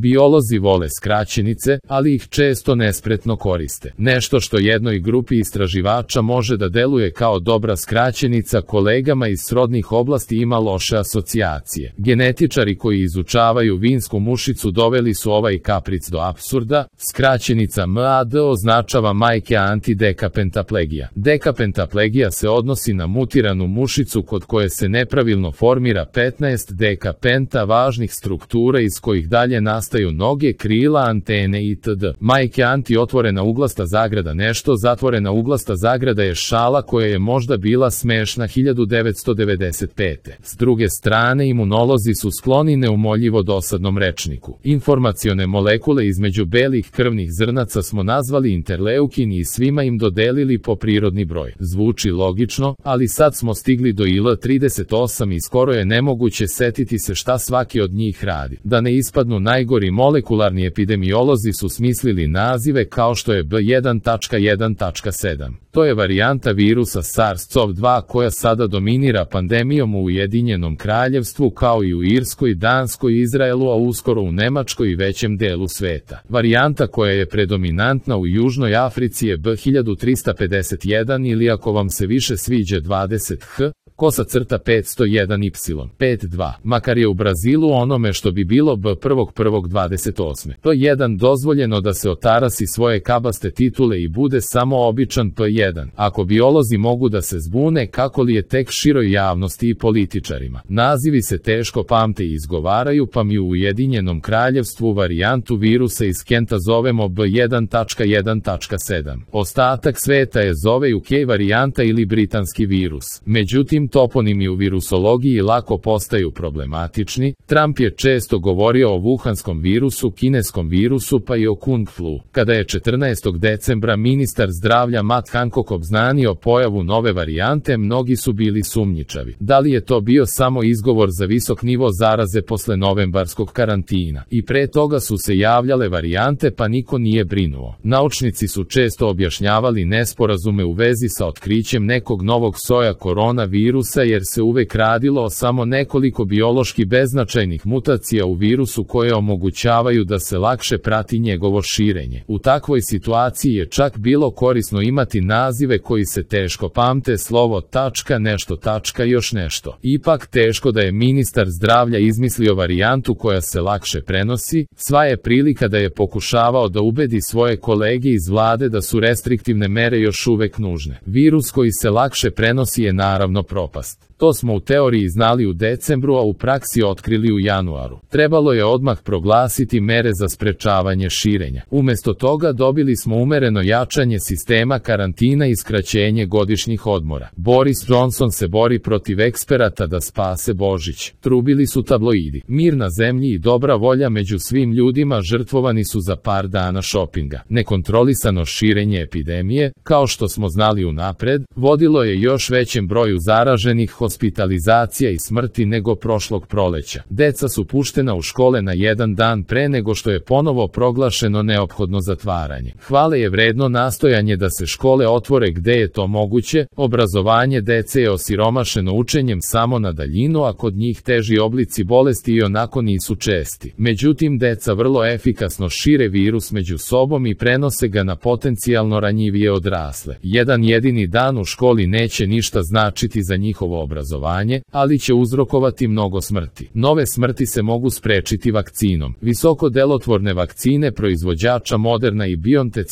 Biolozi vole skraćenice, ali ih često nespretno koriste. Nešto što jednoj grupi istraživača može da deluje kao dobra skraćenica, kolegama iz srodnih oblasti ima loše asocijacije. Genetičari koji izučavaju vinsku mušicu doveli su ovaj kapric do apsurda. Skraćenica MAD označava majke antidekapentaplegija. Dekapentaplegija se odnosi na mutiranu mušicu kod koje se nepravilno formira 15 dekapenta važnih struktura iz kojih dalje nastaju noge, krila, antene itd. Majke anti otvorena uglasta zagrada. Nešto zatvorena uglasta zagrada je šala koja je možda bila smešna 1995. S druge strane, imunolozi su skloni neumoljivo dosadnom rečniku. Informacione molekule između belih krvnih zrnaca smo nazvali interleukini i svima im dodelili po prirodni broj. Zvuči logično, ali sad smo stigli do IL-38 i skoro je nemoguće setiti se šta svaki od njih radi. Da ne ispadnu najgori molekularni epidemiolozi su smislili nazive kao što je B1.1.7. To je varijanta virusa SARS-CoV-2 koja sada dominira pandemijom u Ujedinjenom Kraljevstvu kao i u Irskoj, Danskoj, Izraelu, a uskoro u Nemačkoj i većem delu sveta. Varijanta koja je predominantna u Južnoj Africi je B1351 ili ako vam se više sviđa 20H, _501Y, 5.2, makar je u Brazilu onome što bi bilo B1.1.28. P1 dozvoljeno da se otarasi svoje kabaste titule i bude samo običan P1. Ako biolozi mogu da se zbune, kako li je tek široj javnosti i političarima. Nazivi se teško pamte i izgovaraju, pa mi u Ujedinjenom Kraljevstvu varijantu virusa iz Kenta zovemo B1.1.7. Ostatak sveta je zove UK varijanta ili britanski virus. Međutim, toponimi u virusologiji lako postaju problematični. Trump je često govorio o wuhanskom virusu, kineskom virusu pa i o kung flu. Kada je 14. decembra ministar zdravlja Matt Hancock obznanio pojavu nove varijante, mnogi su bili sumnjičavi. Da li je to bio samo izgovor za visok nivo zaraze posle novembarskog karantina? I pre toga su se javljale varijante pa niko nije brinuo. Naučnici su često objašnjavali nesporazume u vezi sa otkrićem nekog novog soja koronavirusa jer se uvek radilo o samo nekoliko biološki beznačajnih mutacija u virusu koje omogućavaju da se lakše prati njegovo širenje. U takvoj situaciji je čak bilo korisno imati nazive koji se teško pamte, slovo tačka, nešto tačka, još nešto. Ipak teško da je ministar zdravlja izmislio varijantu koja se lakše prenosi, sva je prilika da je pokušavao da ubedi svoje kolege iz vlade da su restriktivne mere još uvek nužne. Virus koji se lakše prenosi je naravno propast. To smo u teoriji znali u decembru, a u praksi otkrili u januaru. Trebalo je odmah proglasiti mere za sprečavanje širenja. Umesto toga dobili smo umereno jačanje sistema karantina i skraćenje godišnjih odmora. Boris Johnson se bori protiv eksperata da spase Božić. Trubili su tabloidi. Mir na zemlji i dobra volja među svim ljudima žrtvovani su za par dana šopinga. Nekontrolisano širenje epidemije, kao što smo znali unapred, vodilo je još većem broju zaraženih, hospitalizacija i smrti nego prošlog proleća. Deca su puštena u škole na jedan dan pre nego što je ponovo proglašeno neophodno zatvaranje. Hvale je vredno nastojanje da se škole otvore gde je to moguće. Obrazovanje dece je osiromašeno učenjem samo na daljinu, a kod njih teži oblici bolesti i onako nisu česti. Međutim, deca vrlo efikasno šire virus među sobom i prenose ga na potencijalno ranjivije odrasle. Jedan jedini dan u školi neće ništa značiti za njihovo obrazovanje, ali će uzrokovati mnogo smrti. Nove smrti se mogu sprečiti vakcinom. Visoko delotvorne vakcine proizvođača Moderna i BioNTech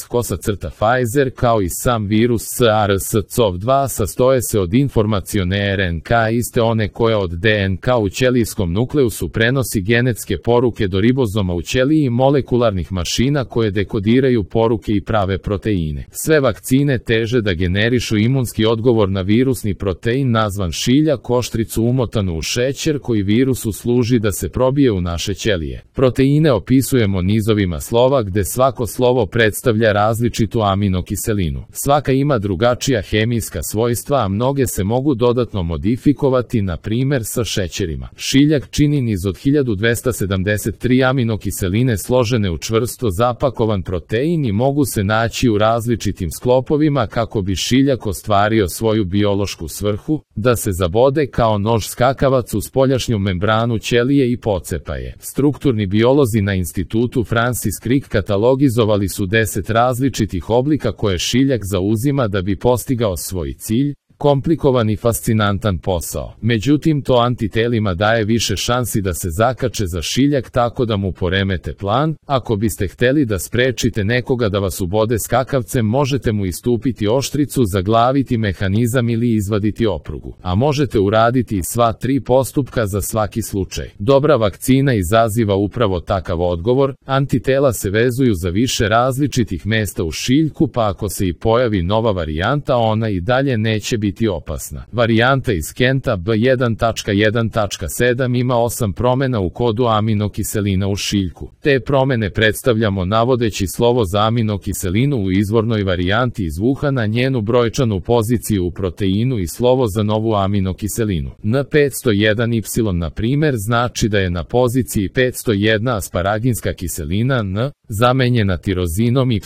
Pfizer kao i sam virus SARS-CoV-2 sastoje se od informacione RNK iste one koja od DNK u ćelijskom nukleusu prenosi genetske poruke do ribozoma u ćeliji i molekularnih mašina koje dekodiraju poruke i prave proteine. Sve vakcine teže da generišu imunski odgovor na virusni protein nazvan šilja, koštricu umotanu u šećer koji virusu služi da se probije u naše ćelije. Proteine opisujemo nizovima slova gde svako slovo predstavlja različitu aminokiselinu. Svaka ima drugačija hemijska svojstva, a mnoge se mogu dodatno modifikovati, na primer sa šećerima. Šiljak čini niz od 1273 aminokiseline složene u čvrsto zapakovan protein i mogu se naći u različitim sklopovima kako bi šiljak ostvario svoju biološku svrhu, da se zabode kao nož skakavac u spoljašnju membranu ćelije i pocepa je. Strukturni biolozi na institutu Francis Crick katalogizovali su 10 različitih oblika koje šiljak zauzima da bi postigao svoj cilj, komplikovan i fascinantan posao. Međutim, to antitelima daje više šansi da se zakače za šiljak tako da mu poremete plan. Ako biste hteli da sprečite nekoga da vas ubode skakavcem, možete mu istupiti oštricu, zaglaviti mehanizam ili izvaditi oprugu. A možete uraditi i sva 3 postupka za svaki slučaj. Dobra vakcina izaziva upravo takav odgovor. Antitela se vezuju za više različitih mesta u šiljku, pa ako se i pojavi nova varijanta, ona i dalje neće biti opasna. Varijanta iz Kenta B1.1.7 ima 8 promjena u kodu aminokiselina u šiljku. Te promjene predstavljamo navodeći slovo za aminokiselinu u izvornoj varijanti iz Wuhana, njenu brojčanu poziciju u proteinu i slovo za novu aminokiselinu. N501Y na primjer znači da je na poziciji 501 asparaginska kiselina N, zamenjena tirozinom Y.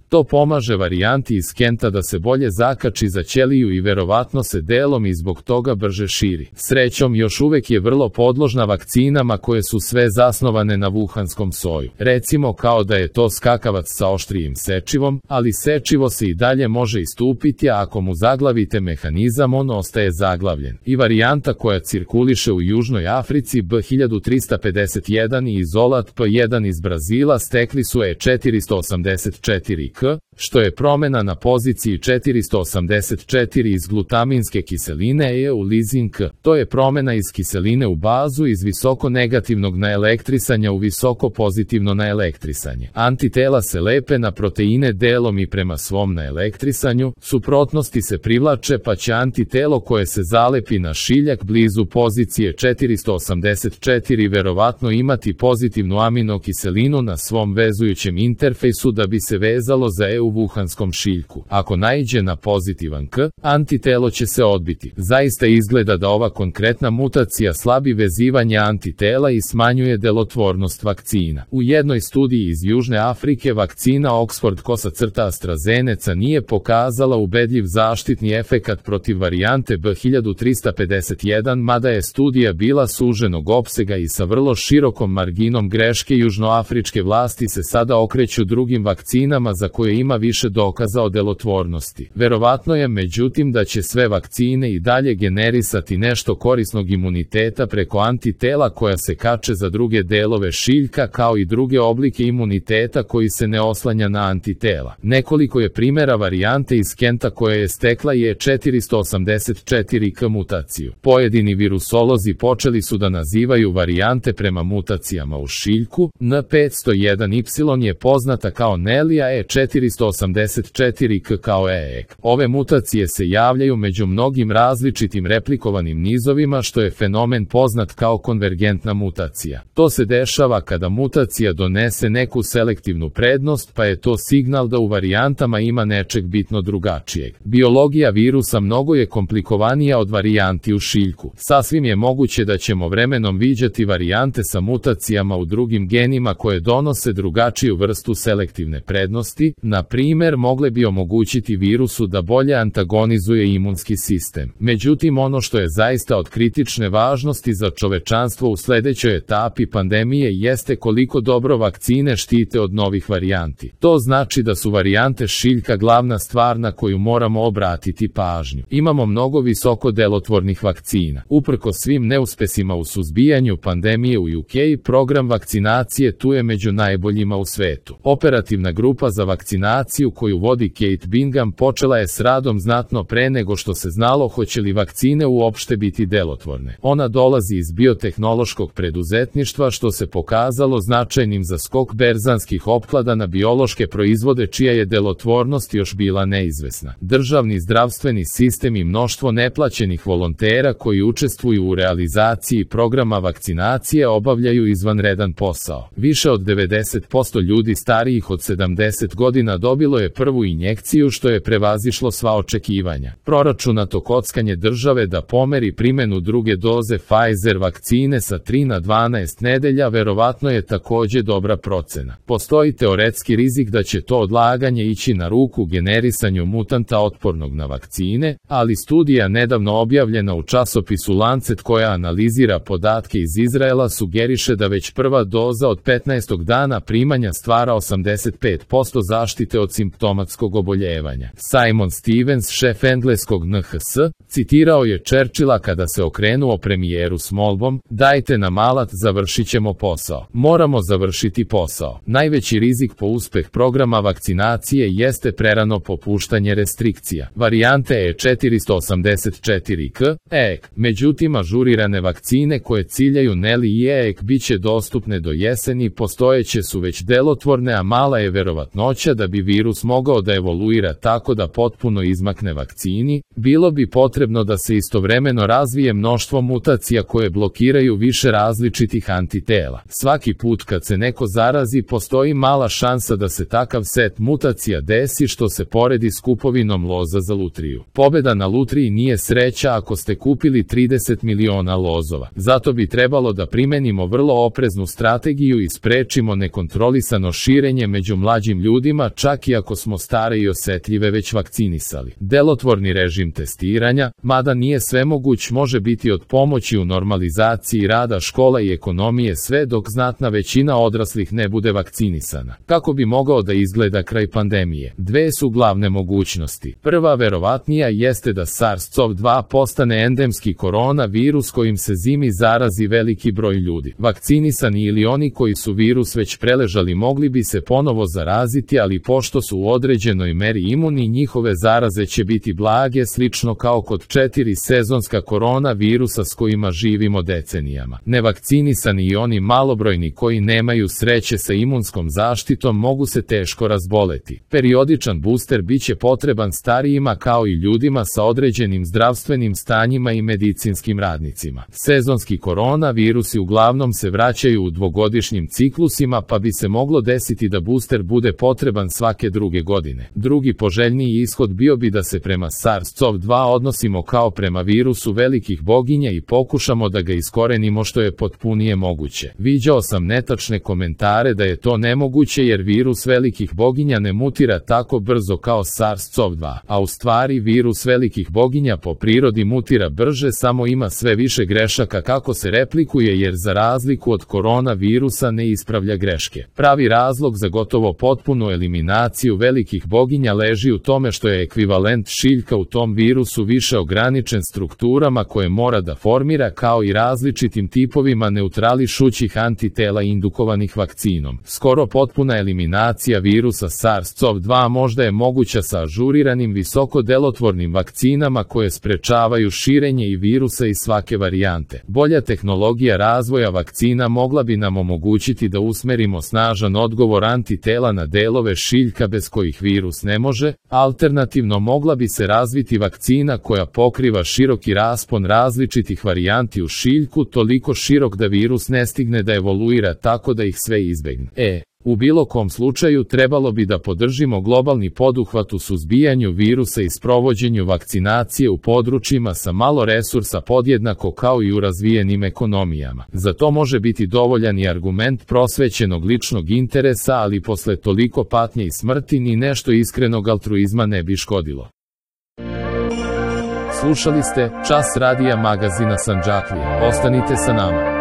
To pomaže varijanti iz Kenta da se bolje zakači za ćeliju i verovatno se delom i zbog toga brže širi. Srećom, još uvek je vrlo podložna vakcinama koje su sve zasnovane na wuhanskom soju. Recimo kao da je to skakavac sa oštrijim sečivom, ali sečivo se i dalje može istupiti, a ako mu zaglavite mehanizam, on ostaje zaglavljen. I varijanta koja cirkuliše u Južnoj Africi B1351 i izolat P1 iz Brazila stekli su E484K, što je promjena na poziciji 484 iz glutaminske kiseline eulizin K. To je promjena iz kiseline u bazu iz visoko negativnog naelektrisanja u visoko pozitivno naelektrisanje. Antitela se lepe na proteine delom i prema svom naelektrisanju, suprotnosti se privlače, pa će antitelo koje se zalepi na šiljak blizu pozicije 484 verovatno imati pozitivnu aminokiselinu na svom vezujućem interfejsu da bi se vezalo za u wuhanskom šiljku. Ako naiđe na pozitivan K, antitelo će se odbiti. Zaista izgleda da ova konkretna mutacija slabi vezivanje antitela i smanjuje delotvornost vakcina. U jednoj studiji iz Južne Afrike vakcina Oxford-AstraZeneca nije pokazala ubedljiv zaštitni efekat protiv varijante B1351, mada je studija bila suženog opsega i sa vrlo širokom marginom greške. Južnoafričke vlasti se sada okreću drugim vakcinama za koje ima više dokaza o delotvornosti. Verovatno je međutim da će sve vakcine i dalje generisati nešto korisnog imuniteta preko antitela koja se kače za druge delove šiljka kao i druge oblike imuniteta koji se ne oslanja na antitela. Nekoliko je primjera varijante iz Kenta koja je stekla E484K mutaciju. Pojedini virusolozi počeli su da nazivaju varijante prema mutacijama u šiljku. N501Y je poznata kao Nelija, E484K kao EEK. Ove mutacije se javljaju među mnogim različitim replikovanim nizovima, što je fenomen poznat kao konvergentna mutacija. To se dešava kada mutacija donese neku selektivnu prednost, pa je to signal da u varijantama ima nečeg bitno drugačijeg. Biologija virusa mnogo je komplikovanija od varijanti u šiljku. Sasvim je moguće da ćemo vremenom viđati varijante sa mutacijama u drugim genima koje donose drugačiju vrstu selektivne prednosti. Na primjer, mogle bi omogućiti virusu da bolje antagonizuje imunski sistem. Međutim, ono što je zaista od kritične važnosti za čovečanstvo u sledećoj etapi pandemije jeste koliko dobro vakcine štite od novih varijanti. To znači da su varijante šiljka glavna stvar na koju moramo obratiti pažnju. Imamo mnogo visoko delotvornih vakcina. Uprkos svim neuspesima u suzbijanju pandemije u UK, program vakcinacije tu je među najboljima u svetu. Operativna grupa za vakcinaciju koju vodi Kate Bingham počela je s radom znatno pre nego što se znalo hoće li vakcine uopšte biti delotvorne. Ona dolazi iz biotehnološkog preduzetništva, što se pokazalo značajnim za skok berzanskih opklada na biološke proizvode čija je delotvornost još bila neizvesna. Državni zdravstveni sistem i mnoštvo neplaćenih volontera koji učestvuju u realizaciji programa vakcinacije obavljaju izvanredan posao. Više od 90% ljudi starijih od 70 godina dobilo je prvu injekciju što je prevazišlo sva očekivanja. Proračunato kockanje države da pomeri primjenu druge doze Pfizer vakcine sa 3 na 12 nedelja verovatno je takođe dobra procena. Postoji teoretski rizik da će to odlaganje ići na ruku generisanju mutanta otpornog na vakcine, ali studija nedavno objavljena u časopisu Lancet koja analizira podatke iz Izraela sugeriše da već prva doza od 15. dana primanja stvara 85% zaštite od simptomatskog oboljevanja. Simon Stevens, šef engleskog NHS, citirao je Churchilla kada se okrenuo premijeru s molbom: "Dajte nam alat, završit ćemo posao." Moramo završiti posao. Najveći rizik po uspeh programa vakcinacije jeste prerano popuštanje restrikcija. Varijante E484K, EEK. Međutim, ažurirane vakcine koje ciljaju NELI i EEK bit će dostupne do jeseni, postojeće su već delotvorne, a mala je verovatnoća da bi virus mogao da evoluira tako da potpuno izmakne vakcini. Bilo bi potrebno da se istovremeno razvije mnoštvo mutacija koje blokiraju više različitih antitela. Svaki put kad se neko zarazi, postoji mala šansa da se takav set mutacija desi, što se poredi s kupovinom loza za lutriju. Pobeda na lutriji nije sreća ako ste kupili 30 miliona lozova. Zato bi trebalo da primenimo vrlo opreznu strategiju i sprečimo nekontrolisano širenje među mlađim ljudima, čak i ako smo stare i osetljive već vakcinisali. Delotvorni režim testiranja, mada nije svemoguć, može biti od pomoći u normalizaciji rada škola i ekonomije sve dok znatna većina odraslih ne bude vakcinisana. Kako bi mogao da izgleda kraj pandemije? Dve su glavne mogućnosti. Prva, verovatnija, jeste da SARS-CoV-2 postane endemski koronavirus kojim se zimi zarazi veliki broj ljudi. Vakcinisani ili oni koji su virus već preležali mogli bi se ponovo zaraziti, ali pošto su u određenoj meri imuni, njihove zaraze će biti blage, slično kao kod 4 sezonska koronavirusa s kojima živimo decenijama. Nevakcinisani i oni malobrojni koji nemaju sreće sa imunskom zaštitom mogu se teško razboleti. Periodičan booster biće potreban starijima kao i ljudima sa određenim zdravstvenim stanjima i medicinskim radnicima. Sezonski koronavirusi uglavnom se vraćaju u dvogodišnjim ciklusima, pa bi se moglo desiti da booster bude potreban svake druge godine. Drugi poželjniji ishod bio bi da se prema SARS-CoV-2 odnosimo kao prema virusu velikih boginja i pokušamo da ga iskorenimo što je potpunije moguće. Viđao sam netačne komentare da je to nemoguće jer virus velikih boginja ne mutira tako brzo kao SARS-CoV-2, a u stvari virus velikih boginja po prirodi mutira brže, samo ima sve više grešaka kako se replikuje jer za razliku od koronavirusa ne ispravlja greške. Pravi razlog za gotovo potpunu eliminaciju velikih boginja leži u tome što je ekvivalent šiljka u tom virusu više ograničen strukturama koje mora da formira, kao i različitim tipovima neutrališućih antitela indukovanih vakcinom. Skoro potpuna eliminacija virusa SARS-CoV-2 možda je moguća sa ažuriranim visoko delotvornim vakcinama koje sprečavaju širenje i virusa iz svake varijante. Bolja tehnologija razvoja vakcina mogla bi nam omogućiti da usmerimo snažan odgovor antitela na delove šiljka bez kojih virus ne može. Alternativno, mogla bi se razviti vakcina koja pokriva široki raspon različitih varijanti u šiljku, toliko širok da virus ne stigne da evoluira tako da ih sve izbegne. U bilo kom slučaju trebalo bi da podržimo globalni poduhvat u suzbijanju virusa i sprovođenju vakcinacije u područjima sa malo resursa podjednako kao i u razvijenim ekonomijama. Za to može biti dovoljan i argument prosvećenog ličnog interesa, ali posle toliko patnje i smrti ni nešto iskrenog altruizma ne bi škodilo. Slušali ste Čas radija magazina Sandžaklija. Ostanite sa nama.